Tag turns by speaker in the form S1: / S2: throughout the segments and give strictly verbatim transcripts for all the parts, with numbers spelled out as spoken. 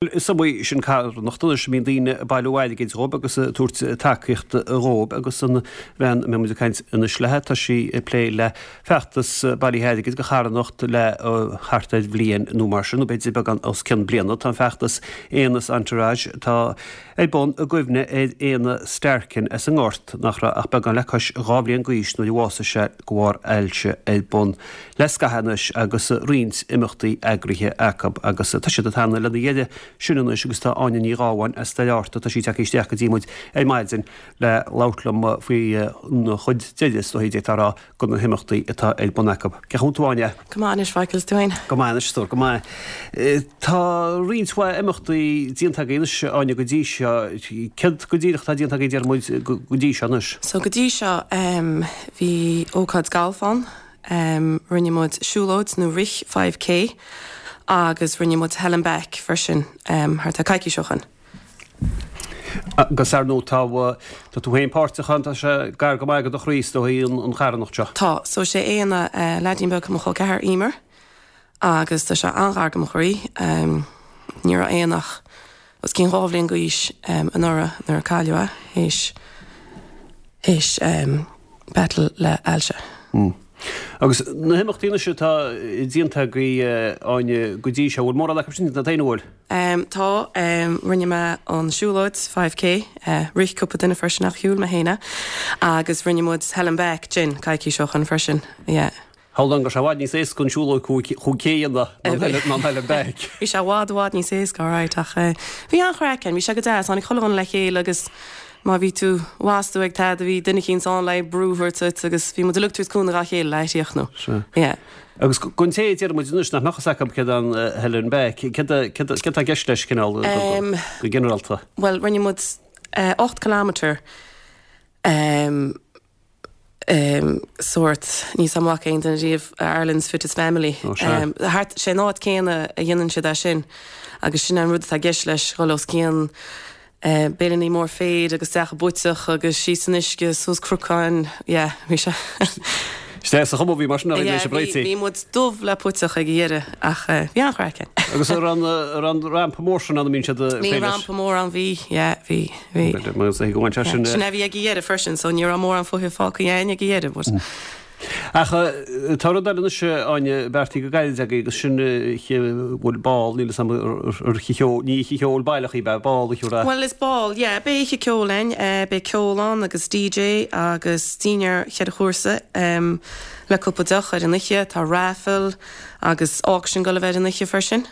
S1: Is iomaí sin carthanacht anois a mbíonn daoine ag bailiú airgid dhóibh agus ag tabhairt tacaíocht dhóibh agus an bhean a mbeidh muid ag caint anois léi, tá sí ag plé le feachtas bailithe airgid do charthanacht le thart ar bhliain nó mar sin, nó b'fhéidir beagán os cionn bliana. Tá an feachtas Éanna's Entourage atá ar bun i gcuimhne ar Éanna Starkin as an nGort nach raibh ach beagán le cois dhá bhliain d'aois nuair a bhásaigh sé de bharr ailse ar bun le scaitheamh anois agus roinnt imeachtaí eagraithe acu agus tá siad ag teannadh lena dheireadh sin anois agus tá Áine Ní Ghabháin as Doire Fhatharta, tá sí tagtha isteach go dtí muid ar maidin le labhairt liom faoi an chuid deiridh is dóichí d'fhéadfá a rá de na himeachtaí atá ar bun acu. Cén chaoi a bhfuil tú Áine?
S2: Go maith anois Mhichael, is tú féin?
S1: Go maith anois, a stór, go maith. Tá roinnt mhaith imeachtaí déanta agaibh anois Áine go dtí seo. Céard go díreach atá déanta agaibh deir muid go dtí seo anois?
S2: So go dtí seo bhí ócáid galf ann, rinne muid siúlóid nó rith five K agus rinne muid Hell and Back freisin thart ar coicís ó shin.
S1: Agus ar ndóigh tá tá tú féin páirteach ann, tá sé gar go maith do do chroí is dóigh an charthanacht seo.
S2: Tá, so sé Éanna leaidín beag mo chol ceathar Emer agus tá sé an-ghar do mo chroí. Ní raibh Éanna ach os cionn dhá bhliain d'aois anuraidh nuair a cailleadh é théis théis battle le ailse.
S1: Agus na himeachtaí anois atá déanta agaibh Áine go dtí seo, bhfuil mórán acu sin déanta féin, an bhfuil?
S2: Tá, rinne mé an siúlóid five K, rith cúpla duine freisin ach shiúil mé féin é agus rinne muid Hell and Back gin coicís ó shin freisin, yeah.
S1: Hold on, go raibh sé i bhfad níos éasca an siúlóid cúig K a dhéanamh ná an Hell and Back.
S2: Bhí sé i bhfad i bhfad níos éasca, alright, ach bhí an-chraic ann, bhí sé go deas, tháinig chuile dhuine le chéile agus má bhí tú, bhas tú ag tada, bhí duine eicínt ann le brú a thabhairt duit agus bhí muid uilig ag tabhairt cúnamh dá chéile le críochnú.
S1: Sea.
S2: Yeah.
S1: Agus don té a deir muid anois nach mbeadh fhios acu céard é an Hell and Back, céard céard atá i gceist leis cineál go ginearálta?
S2: Bhuel, rinne muid ocht kilometre um, um, sórt, níl 's a'm an bhfaca aon duine riamh Ireland's Fittest Family.
S1: Ó, sea.
S2: Um, thart, sé an áit céanna a dhéanann siad é sin agus sin an rud atá i gceist leis, dhul os cionn béilíní mór féir agus teach an puiteach agus síos san uisce suas cnocáin, yeah, bhí sé.
S1: Is sa chuma bhí mar sin
S2: Yeah,
S1: sé
S2: bhí
S1: bréití.
S2: bhí muid dubh le puiteach ag an dheireadh ach eh, bhí an-chraic ann.
S1: Agus ar an ar an rampa mór sin ann a mbíonn siad
S2: Bhí rampa mór ann bhí, yeah, bhí, bhí.
S1: Mar go bhain sé sin.
S2: Sin a bhí ag an dheireadh freisin, so ní raibh mórán fuinnimh fágtha againn ag an dheireadh, but
S1: Ach tá rud eile anois Áine beartaithe go gairid agaibh agus sin bhfuil ball níl 'fhios a'm ar oíche cheoil ní oíche cheoil baileach í b'ea ball a chiúra.
S2: Well is ball, yeah, beidh oíche ceoil ann, uh, beidh ceol ann agus DJ agus dinnéar cheithre chúrsa um, le cúpla deoch ar an oíche, tá raffle agus auction go bheith ar an oíche freisin.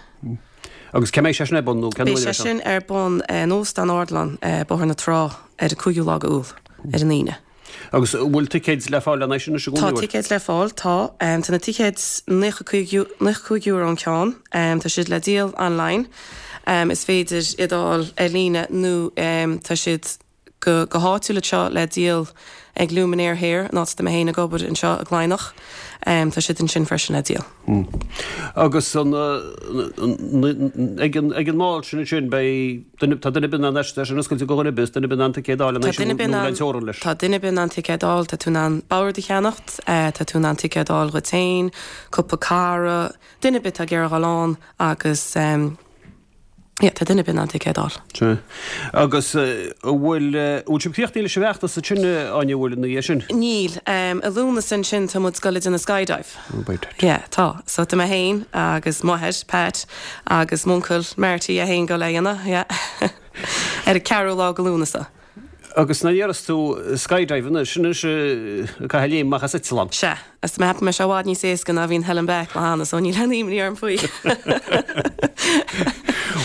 S1: Agus cé mbeidh sé sin ar bun nó cén
S2: Beidh
S1: uair
S2: sé
S1: é seo?
S2: sin ar bun uh, in Óstán Ardilaun uh, Bóthar na Trá ar an cúigiú lá Iúil ar an Aoine.
S1: Agus bhfuil ticéid le fáil an sin
S2: Tá
S1: go
S2: ticéid le fáil tá um, tá na ticéid naocha cúig euro an ceann um, tá siad le díol online um, is féidir iad a fháil ar líne nó um, tá siad go, go háitiúil seo le díol ag Luminaire Hair an áit a mé féin ag obair anseo i gCladhnach um, tá siad ansin freisin le díol.
S1: Agus an ag an ag an mbál sin sin beidh tá duine bin an sin oscailte go dhuine bis duine bin an ticéad a fháil
S2: Tá duine bin
S1: an teorann leis.
S2: Tá duine bin an ticéad a fháil, tá tú in ann bord a cheannacht, uh, tá tú in ann ticéad a fháil dhuit féin, cúpla cara, duine bit ag iarraidh dul ann agus um, yeah, tá duine bin an ticéad a fháil.
S1: Sea. Agus bhfuil bhfuil sibh críochnaithe leis an bhfeachtas sin Áine bhfuil na dhiaidh sin?
S2: Níl, um, i Lúnasa ansin tá muid ag dul déanamh skydive. Yeah, tá. So tá mé féin agus m'athair Pat agus m'uncail Marty é féin go le dhéanamh, yeah. ar an ceathrú lá go Lúnasa.
S1: Agus na dhéaras tú skydive anois sin anois caitheamh léim amach as eitleán.
S2: Sea, is mé me se bhád níos éasca ná bhíon Hell and Back le hana, so níl aon imní orm faoi.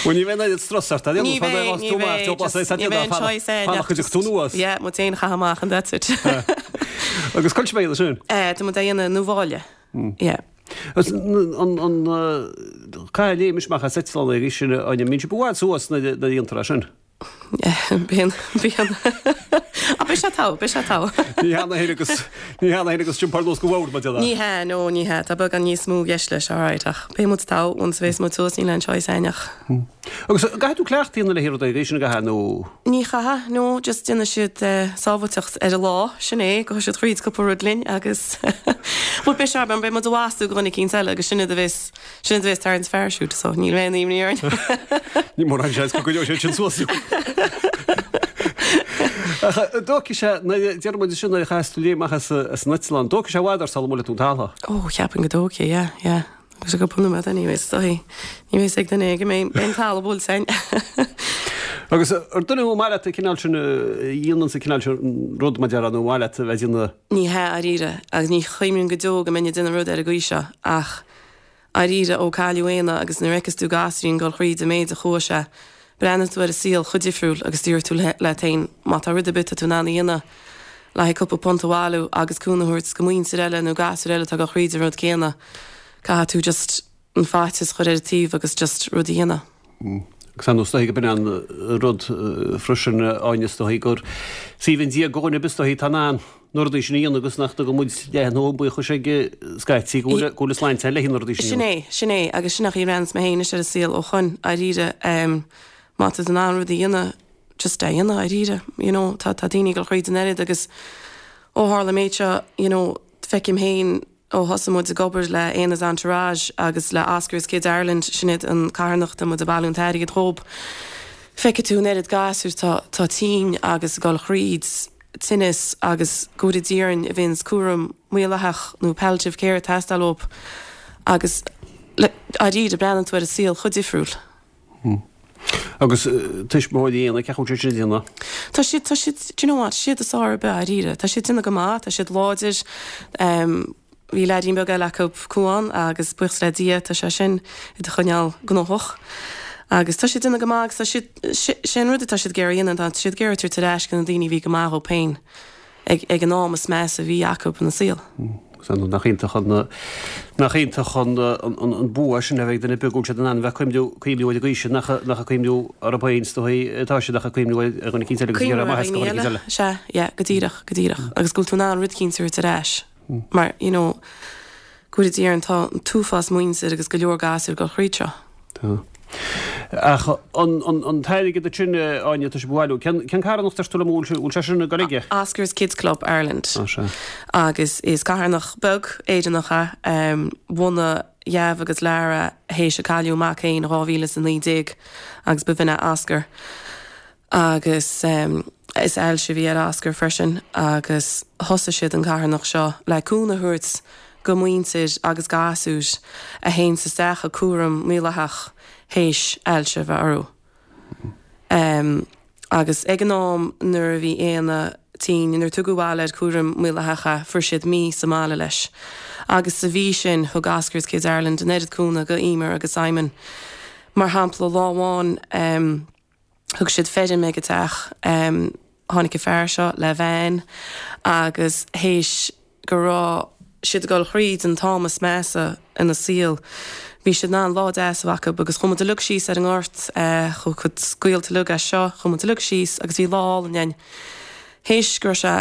S1: Bhuel ní bheidh strus ort
S2: Ní bheidh, ní bheidh, just- ní bheidh an choice é,
S1: Fanacht go dtig tú anuas.
S2: Yeah, mu féin cha amach and that's it.
S1: Agus col mé sin.
S2: Eh, Tá mu dhéanamh nó bháile. Yeah.
S1: Agus an an caitheamh léim amach as eitleán ag sin an mín si bhád suas na na dhéantar sin.
S2: Bíonn bíonn a beidh sé togha, beidh sé togha.
S1: Ní hea na agus ní hea na agus sin par go bhór ma.
S2: Ní hea, no, ní hea, tá beagán níos mó i gceist leis, alright, ach beidh muid togha once a bheas muid suas, níl aon choice againn ach.
S1: Agus caithfidh tú cleachtadh a dhéanamh le rud éigin sin a gcaithfidh nó?
S2: Ní chaithfidh, no, just déanfaidh siad sábháilteacht ar an lá, sin é, gabhfaidh siad thríd cúpla rud linn agus but beidh sé, beidh muid a bhastú go dhuine eicínt eile agus sin iad a bheas, sin iad a bheas tarraingt parachute, so níl aon imní orainn.
S1: Ní mórán seans go gcoinneoidh siad sin suas. Ach dtógfaidh sé, deir muid sin nuair a chas tú léim amach as an eitleán, dtógfaidh sé i bhfad ort sula mbuailfidh tú an talamh.
S2: Ó, cheapfainn go dtógfaidh, yeah, yeah. Agus cúpla nóiméad anyway, is dóigh. Ní bheidh ag duine go mbeidh an talamh buailte againn.
S1: Agus ar duine thú maith leat an cineál sin a dhéanann sa cineál sin rud mar déarfá nó maith leat a bheith ag déanamh?
S2: Ní hea, dáiríre, agus ní chuimhním go deo go mbeinn ag déanamh rud ar an gcaoi seo ach dáiríre ó cailleadh Éanna agus nuair a fheiceas tú gasúirín ag dul thríd an méid a chuaigh sé, breathnaíonn tú ar an saol chomh difriúil agus deir tú leat féin má tá rud ar bith atá tú in ann a dhéanamh le haghaidh cúpla punt a bhailiú agus cúnamh a thabhairt go muintir eile nó gasúir eile atá ag dul thríd an rud céanna, caithfidh tú just an faitíos a chur ar an taobh agus just rud a dhéanamh.
S1: Agus ar ndóigh is dóichí go b'in an rud freisin, Áine, is dóichí gur is aoibhinn Dia do dhuine ar bith is dóichí atá in ann na rudaí sin a dhéanamh agus nach dtugann muid leath an buíochais ag scaití go bhfuil go bhfuil an sláinte le na rudaí sin a
S2: Sin é, sin é, agus sin an chaoi a mbreathnaíonns mé féin anois ar an saol ó shoin, dáiríre, má tá tú in ann rud a dhéanamh, just é a dhéanamh, dáiríre, you know, tá tá daoine ag dul thríd an oiread agus ó tharla an méid seo, you know, feicim féin ó thosaigh muid ag obair le Éanna's Entourage agus le Oscar's Kids Ireland, sin iad an carthanacht a muid ag bailiú an t-airgead dhób, feicfidh tú an oiread gasúir tá tá tinn agus ag dul thríd tinneas agus go bhfóire Dia orainn a bhíonns cúram maolaitheach nó palliative care ag teastáil uathu agus le dáiríre breathnaíonn tú ar an saol chomh difriúil.
S1: Agus tuismitheoirí Éanna, cén chaoi a bhfuil siad sin ag déanamh?
S2: Tá siad, tá siad, do you know what, siad is fearr ar bith, dáiríre. Tá siad ag déanamh go maith, tá siad láidir. Bhí leaidín beag eile acu, Cuán, agus buíochas le Dia tá sé sin iad a choinneáil gnóthach. Agus tá siad ag déanamh go maith agus tá siad, sé an rud atá siad ag iarraidh a dhéanamh, tá siad ag iarraidh tabhairt ar ais go na daoine a bhí go maith dhóibh féin ag, ag an am is measa a bhí acu ina saol.
S1: Agus nach iontach an, nach iontach an, an, an bua sin a bheith ag duine beag go bhfuil siad in ann bheith cuimhniú, cuimhniú ar an gcaoi sin, nach, nach ag cuimhniú orthu féin is dóigh atá siad ach ag cuimhniú ar dhuine eicínt eile agus ag iarraidh maitheas do dhuine eicínt eile.
S2: Sea, yeah, go díreach, go díreach. Agus go bhfuil tú in ann rud eicínt a thabhairt ar ais. Mar, you know, go bhfóire Dia orainn, tá an t-uafás muintir agus go leor gasúr ag dul thríd seo.
S1: Tá. Ach an, an, an t-airgead sin, Áine, tá sibh a bhailiú, cén, cén carthanacht ar tú le bhfuil, bhfuil sé sin ag dul aige?
S2: Oscar's Kids Club Ireland.
S1: Á, sea.
S2: Agus is carthanacht beag Éireannach é, bhunaigh Jav agus Lara théis a cailleadh a mac féin in dhá mhíle is a naoi déag agus ba bh'in é Oscar. Agus is ailse a bhí ar Oscar freisin agus thosaigh siad an carthanacht seo le cúnamh a thabhairt go muintir agus gasúir a théanns isteach i cúram maolaitheach théis ailse a bheith orthu. Agus ag an am nuair a bhí Éanna tinn, nuair a tugadh abhaile ar cúram maolaitheach é, fuair siad mí sa mbaile leis. Agus sa mhí sin thug Oscar's Kids Ireland an oiread cúnamh go Emer agus Simon. Mar shampla, lá amháin, Thug siad feirm ag an teach. Tháinig an fear seo le veain agus théis go raibh siad ag dul thríd an t-am is measa ina saol, bhí siad in ann lá deas a bheith acu agus chuaigh muid uilig síos ar an ngort, chuaigh cuid gaolta uilig as seo, chuaigh muid uilig síos agus bhí lá álainn againn. Théis go raibh sé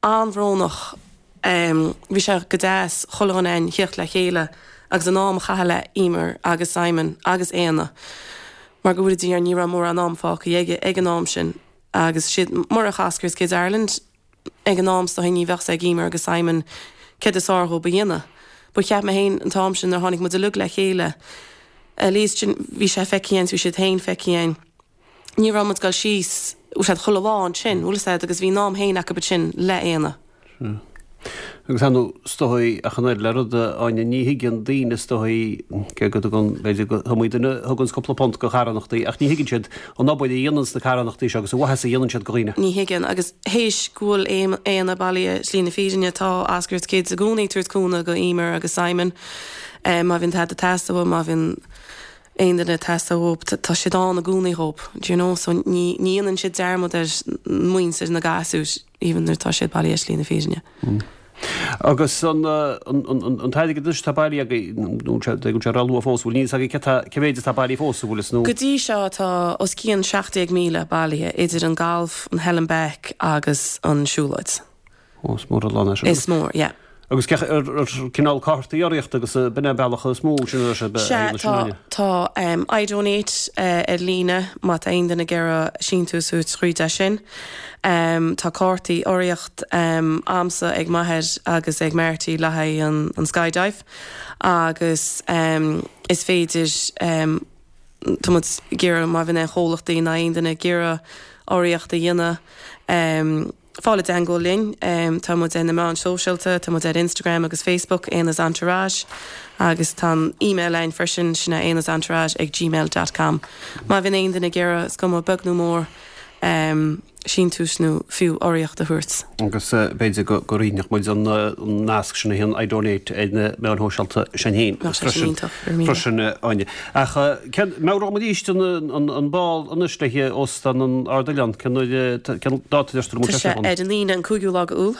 S2: an-bhrónach, bhí sé go deas chuile dhuine againn theacht le chéile agus an am a chaitheamh le Emer agus Simon agus Éanna. Mar go bhfóire Dia orainn ní raibh mórán am fágtha aige ag an am sin agus siad murach Oscar's Kids Ireland ag an am is dóigh ní bheadh 's ag Emer agus Simon céard is fearr dhóibh a dhéanamh. But cheap mé féin an t-am sin nuair a tháinig muid uilig le chéile at least sin bhí sé feicthe againn bhí siad féin feicthe againn ní raibh muid ag dul síos bhfuil 's a'd chuile lá ansin bhfuil 's a'd agus bhí an am féin acu ansin le Éanna.
S1: Sea. Agus ar ndóigh, is dóigh, ach an oiread le rud, a Áine, ní thuigeann daoine, is dóigh, cé go dtugann, b'fhéidir go iomaí duine a thuganns cúpla punt go carthanachtaí, ach ní thuigeann siad an obair a dhéananns na carthanachtaí seo agus an mhaitheas a dhéanann siad go dhaoine.
S2: Ní thuigeann, agus théis go bhfuil Éanna bailithe slí na fírinne, tá Oscar's Kids i gcónaí ag tabhairt cúnamh go Emer agus Simon, má bhíonn tada ag teastáil uathu, má bhíonn aon duine ag teastáil uathu, tá siad ann i gcónaí dhóibh, do you know, so ní dhéanann siad dearmad ar muintir na gasúir. Even nuair atá siad bailithe ar shlí na fírinne.
S1: Agus an an t-airgead atá bailithe agaibh nó sé go sé luath fós bhfuil níos agaibh cé mhéad atá bailithe fós bhfuil is nó.
S2: Go dtí seo tá os cionn seacht déag míle bailithe idir an galf, an Hell and Back agus an siúlóid.
S1: Ó, is mór an lán é sin.
S2: Is mór, yeah.
S1: Agus cé ar cineál cártaí urraíochta agus b'in é an bealach is mó sin ar sé
S2: Sea, tá tá um, iDonate uh, ar líne má tá aon duine ag iarraidh síntiús a thabhairt tríd é sin. Um, tá cártaí urraíocht um, a'msa ag m'athair agus ag Marty le haghaidh an, an skydive agus um, is féidir um, tá muid ag iarraidh má bhíonn aon chomhlachtaí ná aon duine ag iarraidh urraíocht a dhéanamh um, fáil i dteagmháil linn, um, tá muid ar na meáin sóisialta, tá muid ar Instagram agus Facebook, Éanna's Entourage, agus tá an email againn freisin sin é éannasentourage ag gmail dot com. Má bhíonn aon duine ag iarraidh, is cuma beag nó mór, um, síntiús nó fiú urraíocht a thabhairt.
S1: Agus b'fhéidir go go roinnfeadh muid an nasc sin a haghaidh an iDonate ar na meáin shóisialta sin féin.
S2: Bheadh sé sin iontach, go raibh míle.
S1: Freisin, Áine. Ach cén, meabhróidh muid arís an an bál anois le haghaidh Óstán an Ardoileán, cén uair, cén dáta a deirtear an bhfuil
S2: Tá
S1: sé
S2: sé
S1: ann?
S2: ar an Aoine an cúigiú lá de Iúil.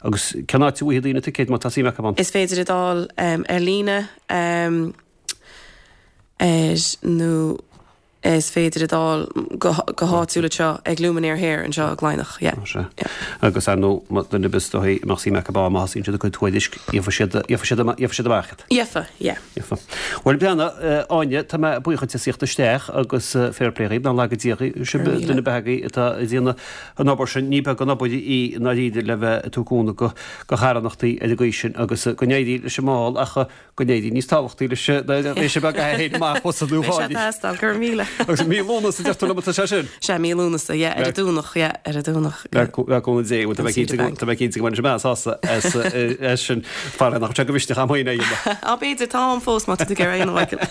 S1: Agus cén áit a bhfaighidh daoine ticéid má tá suim acu ann?
S2: Is féidir iad a fháil ar líne ar nó is féidir iad a fháil go háitiúil anseo ag Luminaire Hair anseo i gCladhnach. Yeah.
S1: Sea. Agus ar ndóigh, má duine ar bith is dóichí a mbeadh suim acu ann, má thosaíonn siad ag cur tuairisc, gheofa siad, gheofa siad, gheofa siad amach iad.
S2: Gheofa, yeah.
S1: Gheofa. Bhuel, breathnaigh, Áine, tá mé buíoch duit as theacht isteach agus fair play dhaoibh, nach laga Dia dhaoibh, sibh duine ar bith agaibh atá ag déanamh an obair sin, ní beag an obair í i ndáiríre le bheith ag tabhairt cúnamh do charthanachtaí ar an gcaoi sin agus go n-éirí leis an mbál ach go n-éirí níos tábhachtaí leis an réise beag a théann amach thusa nó
S2: Beidh sé
S1: Pháidí.
S2: teastáil, go raibh míle.
S1: Agus mí Lúnasa deir tú liom atá sé sin?
S2: Sea, mí Lúnasa, yeah, ar an Domhnach, yeah, ar an Domhnach.
S1: Le cúnamh Dé, bhuel tá mé
S2: An Cedar
S1: cinnte go
S2: Bank.
S1: tá mé cinnte go mbainfidh sé mé sásamh as as sin fara nach sé go mhisneach am féin é a dhéanamh.
S2: Á b'fhéidir, tá am fós má tá tú ag iarraidh a dhéanamh, Michael.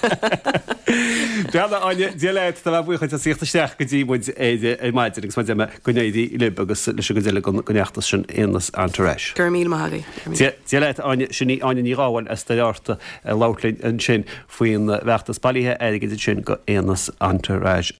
S1: Breathnaigh, Áine, Dia leat, tá mé buíoch duit as theacht isteach go dtí muid ar ar maidin agus mar a deir mé go n-éirí libh agus leis an gcuid eile den den fheachtas sin Éanna's Entourage.
S2: Go raibh míle maith agaibh. Go raibh míle.
S1: Dia Dia leat, Áine, sin í Áine Ní Ghabháin as Doire Fhatharta ag labhairt linn ansin faoin bhfeachtas bailithe airgid ansin go Éanna's Entourage.